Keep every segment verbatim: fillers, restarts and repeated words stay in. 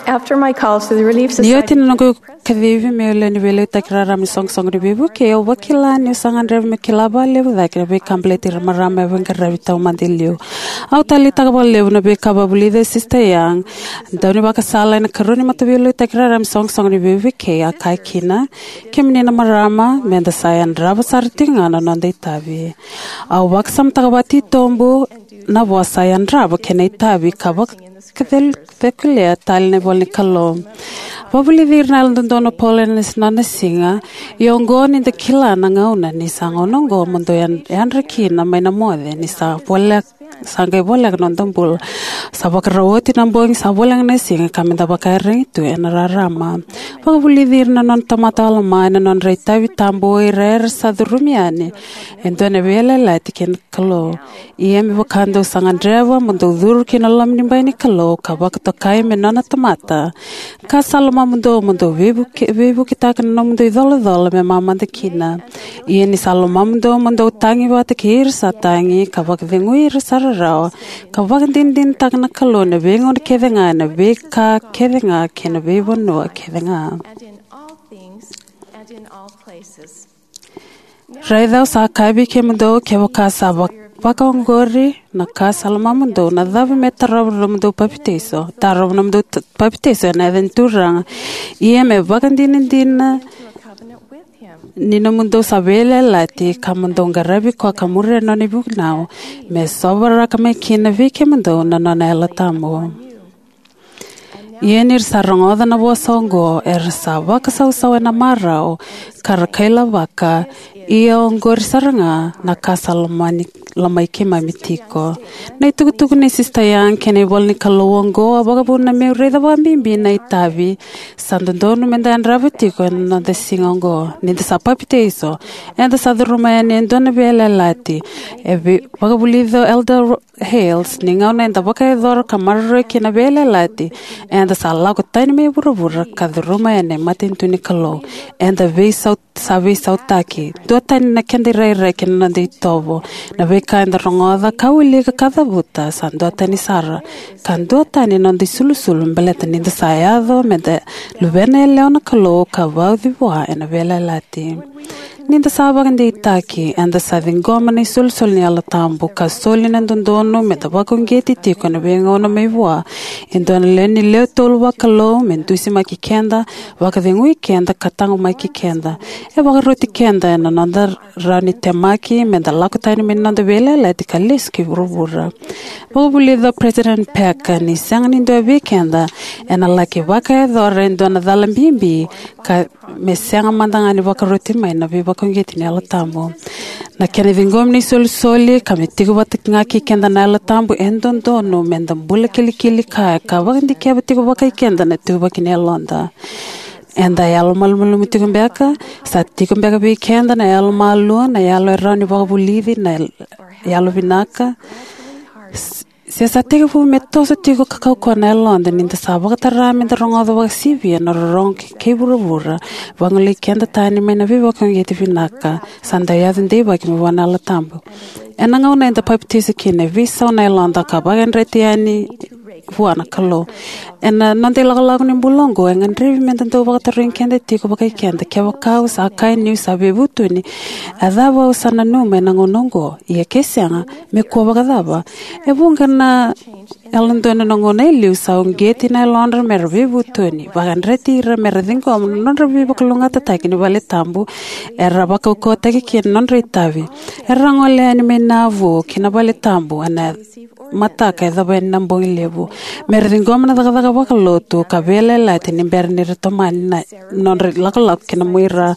After my call to the Relief Ni oti Society, na noqu kacivi meu lewe ni veiliutaki raraba ni soqosoqo ni veivukei, au vakila niu sa gadreva meu kila vakalevu cake na veika baleti ira na marama e veiqaravi taumada e liu. Au taleitaka vakalevu na veika vakavulica e Sister Young, daunivakasala ena ikarua ni mataveiliutaki raraba ni soqosoqo ni veivukei. A kaya kina, kemuni na marama, meda sa yadrava sara tiko ga na noda itavi. Au vakasamataka vakatitobu na vosa yadrava kei na itavi ka vakacekulea tale na ivola ni Kalou. Vakavulici ira na Yalododonu o Paula ena nona siga, ia oqo ni da kila na gauna, ni sa gauna oqo mo dou yad-, yadra kina mai na moce, ni sa voleka, sa qai voleka na noda bula. Sa vakarau oti na bogi, sa voleka na siga, ka meda vakaiyaragi tu ena rarama. Vakavulici ira na nona tamata o Alama ena nodra itavi tabu o ira era sa curumi yani e dua na veiyalayalati kei na Kalou. Ia me vaka dou sa gadreva mo dou curu ki na loma ni bai ni Kalou ka vakatokai me nona tamata, ka sa lomamudou mo dou veivuke-, veivuketaka na nomudou icolacola me mamada kina. Ia ni sa lomamudou mo dou tagi vata kei ira sa tagi, ka vakacegui ira sa rarawa, ka vakadinadinataka na Kalou ena veigauna kece ga, ena veika kece ga, kei na veivanua kece ga. And in all things, and in all places. Raica au sa kaya vei kemudou, kevaka sa va-, vakaoqori na ka sa lomamudou, na cava me tarova na nomudou papitaiso? Tarova na nomudou t-, papitaiso ena yaca ni Turaga. Ia me vakadinadina ni nomudou sa veiyalayalati, ka mo dou qaravi koya ka muria na nona ivunau, me sovaraka mai kina vei kemudou na nona Yalo Tabu. Ia ni ra sa rogoca na vosa oqo, era sa vakasausau ena marau, ka ra kailavaka, ia oqori sara ga na ka sa lomani, lomai keimami tiko. Na itukutuku nei Sister Young kei na ivola ni Kalou oqo a vakavuna meu raica vakabibi na itavi sa dodonu meda yadrava tiko ena noda siga oqo. Ni da sa papitaiso, eda sa curuma yani e dua na veiyalayalati. E vei-, vakavulica o Elder Ro-, Hales, ni gauna eda vakayacora ka maroroi kina na veiyalayalati, eda sa lako tani mai vuravura ka curuma yani na matanitu ni Kalou. Eda veisau-, sa veisautaki. Duatani na keda irairai kei na noda itovo. Na veika eda rogoca ka wilika ka cavuta sa duatani sara. Ka duatani na noda isulusulu baleta ni da sa yaco meda luvena yalewa na Kalou ka vauci vua ena veiyalayalati. Ni da sa vakadeitaki, eda sa ciqoma na isolisoli ni Yalo Tabu, ka soli na dodonu meda vakauqeti tiko ena veigauna mai vua e dua na lewe ni lewe tolu vakalou, me dusimaki keda, vakacegui keda, ka taqomaki keda. E vakaroti keda ena noda rawa ni temaki meda lako tani mai na noda veiyalayalati ka lesu ki vuravura. Vakavulica o President Packer ni sega ni dua vei keda ena laki vakayacora e dua na cala bibi ka me sega mada ga ni vakaroti mai na veivakauqeti ni Yalo Tabu. Na kena ciqomi na isolisoli ka me tiko vata ga kei keda na Yalo Tabu e dodonu meda bula kilikili kaya ka vakadikeva tiko vakai keda na ituvaki ni yaloda. Eda yalomalumalumu tiko beka? Sa tiko beka vei keda na yalomalua, na yalo e rawa ni vakavulici, na yalovinaka? S-, se sa tekivu me toso tiko ka kaukauwa na yaloda ni da sa vakatara meda rogoca vakasivia na rorogo kei, kei vuravura, vagolei keda tani mai na veivakauqeti vinaka sa dau yaco deivaki mai vua na Yalo Tabu. Ena gauna eda papitaiso kina, e veisau na yaloda ka vakayadrati yani vua na Kalou. Ena noda ilakolako ni bula oqo, e gadrevi meda dau vakatarogi keda tiko vakai keda, kevaka au sa kaya niu sa veivutuni, a cava au sa nanuma ena gauna oqo? Ia ke sega, me kua vakacava? E vuqa na yalododonu ena gauna e liu sa uqeti na yalodra mera veivutuni, vakayadrati ira mera ciqoma na nodra veivakalougatataki ni vale tabu era vakaukauwataki kina na nodra itavi. Era gole yani mai Nauvoo ki na vale tabu ena mataka e yacova yani na bogi levu, mera ciqoma na cakacaka vakalotu ka veiyalayalati ni bera ni ra tomani na nodra ilakolako ki na muira.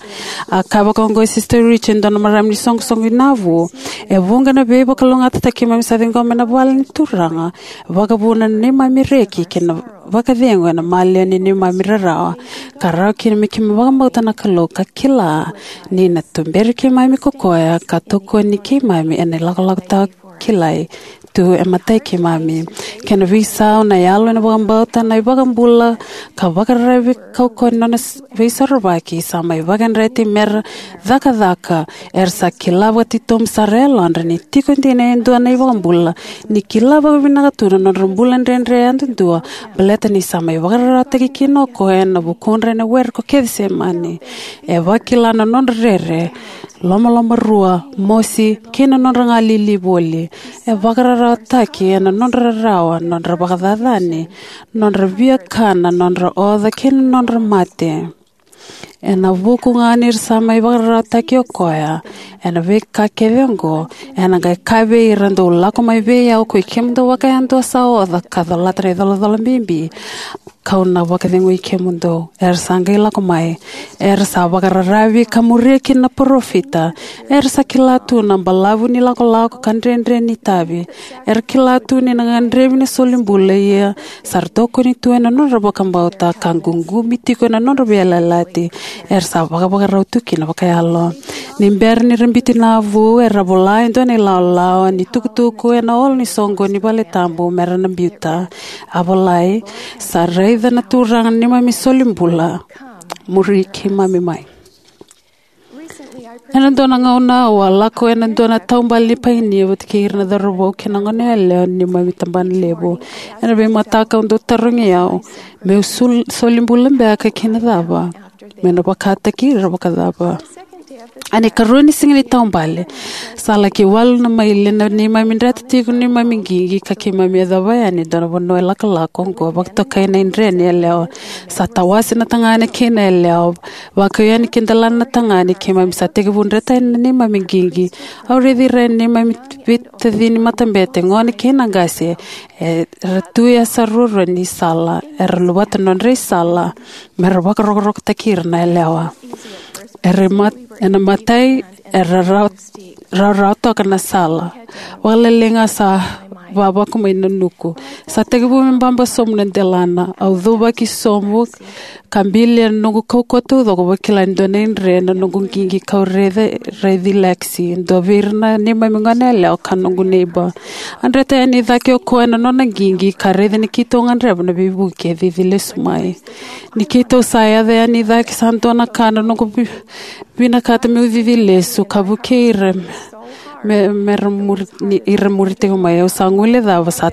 A kaya vaka oqo o Sister Rich, e dua na marama ni soqosoqo i Nauvoo: E vuqa na veivakalougatataki keimami sa ciqoma ena vale ni Turaga, vakavuna na neimami reki kei na vakacegu ena maliwa ni neimami rarawa, ka rawa kina me keimami vakabauta na Kalou ka kila ni na tuberi keimami ko koya ka tokoni keimami ena ilakolako tawa kilai tu e matai keimami. Kena veisau na yalo ena vakabauta na iVakabula ka vakararavi kaukauwa ni nona s- veisorovaki sa mai vakayadrati mera cakacaka. Era sa kila vakatitobu sara e yalodra ni tiko dina e dua na iVakabula, ni kila vakavinaka tu na nodra bula dredre yadudua, baleta ni sa mai vakararawataki kina o koya ena vukudra ena were ko Kecisemani. E vakila na nodra rere, lomalomarua, mosi, kei na nodra galili voli. E vakararawataki ena nodra rarawa, nodra vakacacani, nodra viakana, nodra oca, kei na nodra mate. Ena vuku ga ni ra sa mai vakararawataki o koya ena veika kece oqo, ena qai kaya vei ira, dou lako mai vei au, koi kemudou vakayadua sa oca ka colata na icolacola bibi, kau na vakacegui kemudou. Era sa qai lako mai. Era sa vakararavi ka muria kina na parofita. Era sa kila tu na balavu ni lakolako ka dredre ni itavi. Era kila tu ni na gadrevi na solibula, ia sa ra tokoni tu ena nodra vakabauta ka ququmi tiko ena nodra veiyalayalati. Era sa vakavakarau tu kina vakayalo. Ni bera ni ra biuta na vu, era vola e dua na ilawalawa ni tukutuku ena olo ni soqo ni vale tabu mera na biuta. A volai, sa raica na Turaga na neimami solibula, muri keimami mai. Ena dua na gauna au a lako ena dua na taubale ni painia vata kei ira na cauravou kei na goneyalewa ni neimami tabana levu. Ena veimataka au dau tarogi au, meu sul- solibula beka kei na cava? Meu na vakataki ira vakacava? Ena ikarua ni siga ni taubale, sa laki walu na maile na neimami dreta tiko na neimami qiqi ka keimami yacova yani e dua na vanua e lakolako oqo, vakatokai na idre ni yalewa. Sa tawase na tagane kei na yalewa, vakau yani ki delana na tagane. Keimami sa tekivu dreta yani na neimami qiqi. Au raici ira na neimami veitacini matabete, gone kei na qase, era tu e yasa ruarua ni sala. Era luvata na nodra isala mera vakarokorokotaki ira na yalewa. Era mat- ena matai era rawa- rawarawa toka na sala. Vakalailai ga sa vavaku mai na nuku. Sa tekivu me baba sobu na delana. Au cuvaki sobu ka bili ena noqu kaukauwa taucoko, vakila e dua na idre na noqu qiqi. Kau raici Lexi, dua vei ira na neimami goneyalewa ka noqu neiba. A dreta yani i cake o koya ena nona qiqi ka raica ni keitou gadreva na veivuke e cici lesu mai. Ni keitou sa yaco yani i cake, sa dua na ka na noqu vi- vinakata meu cici lesu ka vukei ira me, me ra muri, ni, ira muri tiko mai. Au sa guilecava sa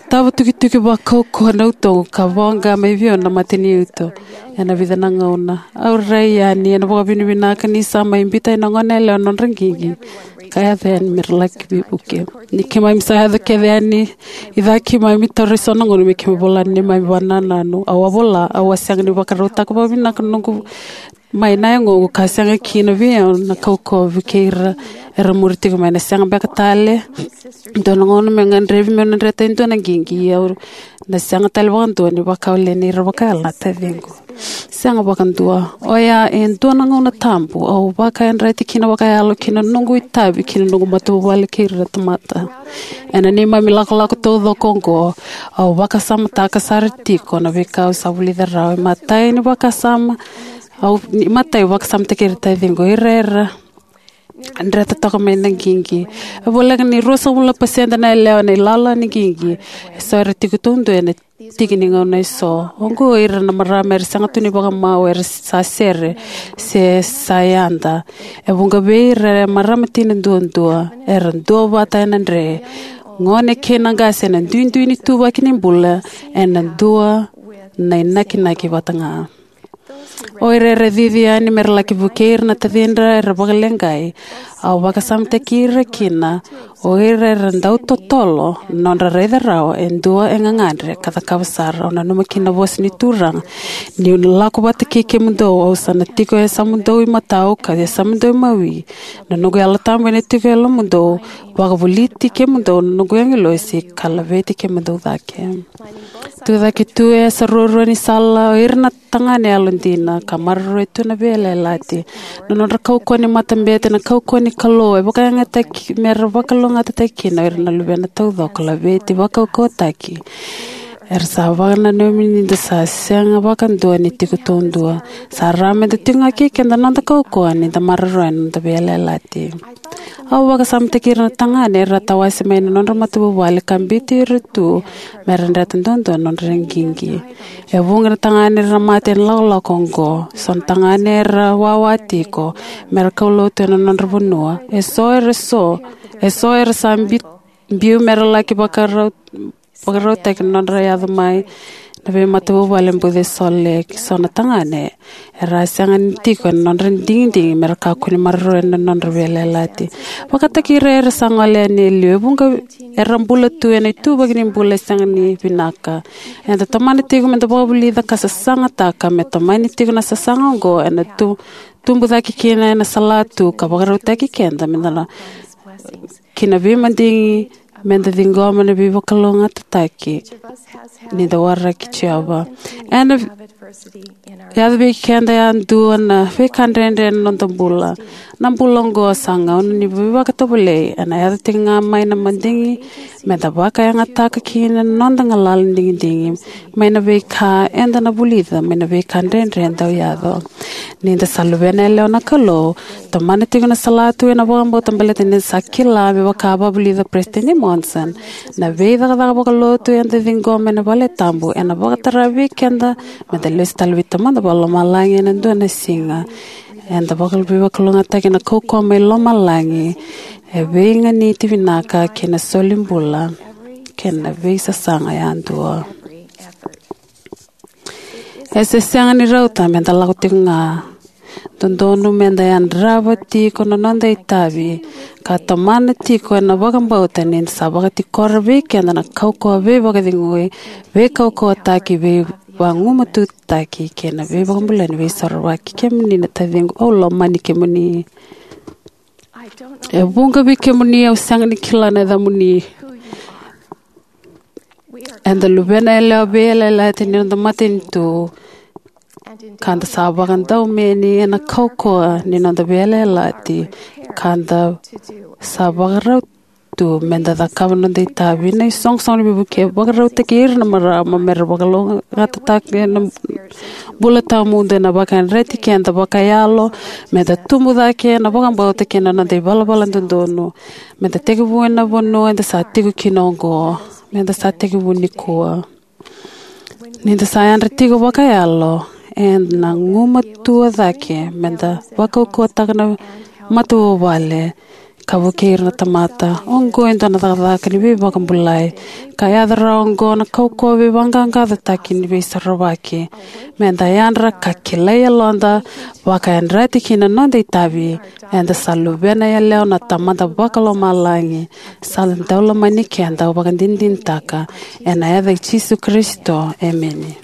tava tukituki vakaukauwa na utoqu ka voqa mai vei au na mataniuto. Ena vica na gauna au rai yani ena vakavinavinaka ni sa mai biuta na goneyalewa na nodra qiqi ka yaco yani me ra laki veivuke. Ni keimami sa yaco kece yani i cake, keimami taura eso na gauna me keimami vola na neimami vakanananu. Au a vola, au a sega ni vakarautaka vakavinaka na noqu mai na yagoqu ka sega kina vei au na kaukauwa vei ira era muri tiko mai. Na sega beka tale dua na gauna me gadrevi meu na dreta e dua na qiqi, au na sega tale vakadua ni vakawaleni ira vakayalo na taciqu. Sega vakadua. Oya e dua na gauna tabu au vakayadrati kina vakayalo ki na noqu itavi ki na noqu matavuvale kei ira na tamata. Ena neimami lakolako taucoko oqo, au vakasamataka sara tiko na veika au sa vulica rawa. E matai ni vakasama, au, ni matai au vakasamataki ira taciqu, ira era dreta toka mai na qiqi. E voleka ni ruasagavulu na pasede na yalewa na ilala ni qiqi eso era tiko taudua ena tiki ni gauna eso. Oqo ira na marama era sega tu ni vakamau, era sa sere se sa yada. E vuqa vei ira e marama tina duadua, era duavata ena dre. Gone kei na qase ena duidui ni ituvaki ni bula, ena dua na inakinaki vata ga. O ira era cici yani me ra laki vukei ira na tacidra era vakaleqai, au vakasamataki ira kina. O ira era dau totolo na nodra raica rawa e dua e gagadre ka cakava sara. Au nanuma kina na vosa ni Turaga: Niu na lako vata kei kemudou, au sa na tiko e yasamudou imatau ka yasamudou imawi. Na noqu Yalo Tabu ena tiko e yalomudou, vakavoliti kemudou na noqu agilosi ka laveti kemudou cake. Tucake tu e yasa ruarua ni sala o ira na tagane yalodina ka maroroya tu na veiyalayalati. Na nodra kaukauwa ni matabete, na kaukauwa ni Kalou e vakayagataki me ra vakalougatataki kina o ira na luvena taucoko, laveti, vakaukauwataki. Era sa vakananumi ni da sa sega vakadua ni tiko taudua. Sa rawa me da tiko ga kei keda na noda kaukauwa ni da maroroya na noda veiyalayalati. Au vakasamataki ira na tagane era tawase mai na nodra matavuvale ka biuti ira tu me ra dreta duadua na nodra qiqi. E vuqa na tagane era mate ena ilakolako oqo. So na tagane era wawa tiko me ra kaulotu ena nodra vanua. E so era so, e so era sa bi-, biu me ra laki vakarau vakarautaki na nodra yaco mai na veimatavuvale e Buca e Salt Lake. So na tagane era sega ni tiko ena nodra digidigi me ra kakua ni maroroya na nodra veiyalayalati. Vakataki ira era sa gole yani e liu, e vuqa era bula tu ena ituvaki ni bula e sega ni vinaka. Eda tomana tiko me da vakavulica ka sasagataka me tomani tiko na sasaga oqo ena tu, tubu cake kina ena salatu ka vakarautaki keda me da na ki na veimadigi me da ciqoma na veivakalougatataki ni da waraki Jiova. Ena yaco vei keda yadua na veika dredre ena noda bula. Na bula oqo sa gauna ni veivakatovolei, ena yaco tiko ga mai na madigi me da vakayagataka kina na noda galala ni digidigi mai na veika eda na vulica mai na veika dredre e dau yaco. Ni da sa luvena yalewa na Kalou, tomana tiko na salatu ena vakabauta baleta ni da sa kila me vaka a vakavulica Peresitedi Monson, na veicakacaka vakalotu eda ciqoma ena vale tabu ena vakatara vei keda me da lesu tale vei Tamada Vakalomalagi ena dua na siga. Eda vaka-, veivakalougatataki ena kaukauwa mai lomalagi, e veiganiti vinaka kei na solibula kei na veisasaga yadua. E se sega ni rauta me da lako tiko ga. Dodonu me da yadrava tiko na noda itavi ka tomana tiko ena vakabauta ni da sa vakatikora vei keda na kaukauwa veivakacegui, veikaukauwataki, veivagumatutaki kei na veivakabulai ni Veisorovaki. Kemuni na taciqu, au lomani kemuni. E vuqa vei kemuni au sega ni kila na yacamuni. Eda luvena yalewa veiyalayalati ni noda matanitu, ka da sa vakadaumeni ena kaukauwa ni noda veiyalayalati, ka da sa vakarau tu me da cakava na noda itavi. Na isoqosoqo ni veivuke e vakarautaki ira na marama me ra vakalougatataka na bula tawamudu ena vakayadrati keda vakayalo me da tubu cake ena vakabauta kei na noda ivalavala dodonu, me da tekivu ena vanua eda sa tiko kina oqo, me da sa tekivu nikua. Ni da sa yadra tiko vakayalo, eda na gumatua cake me da vakaukauwataka na matavuvale ka vukei ira na tamata. Oqo e dua na cakacaka ni veivakabulai ka yaco rawa oqo na kaukauwa veivaqaqacotaki ni Veisorovaki. Me da yadra ka kilai yaloda, vakayadrati kina na noda itavi, eda sa luvena yalewa na Tamada Vakalomalagi. Sa dau lomani keda, au vakadinadinataka ena yaca i Jisu Karisito, emeni.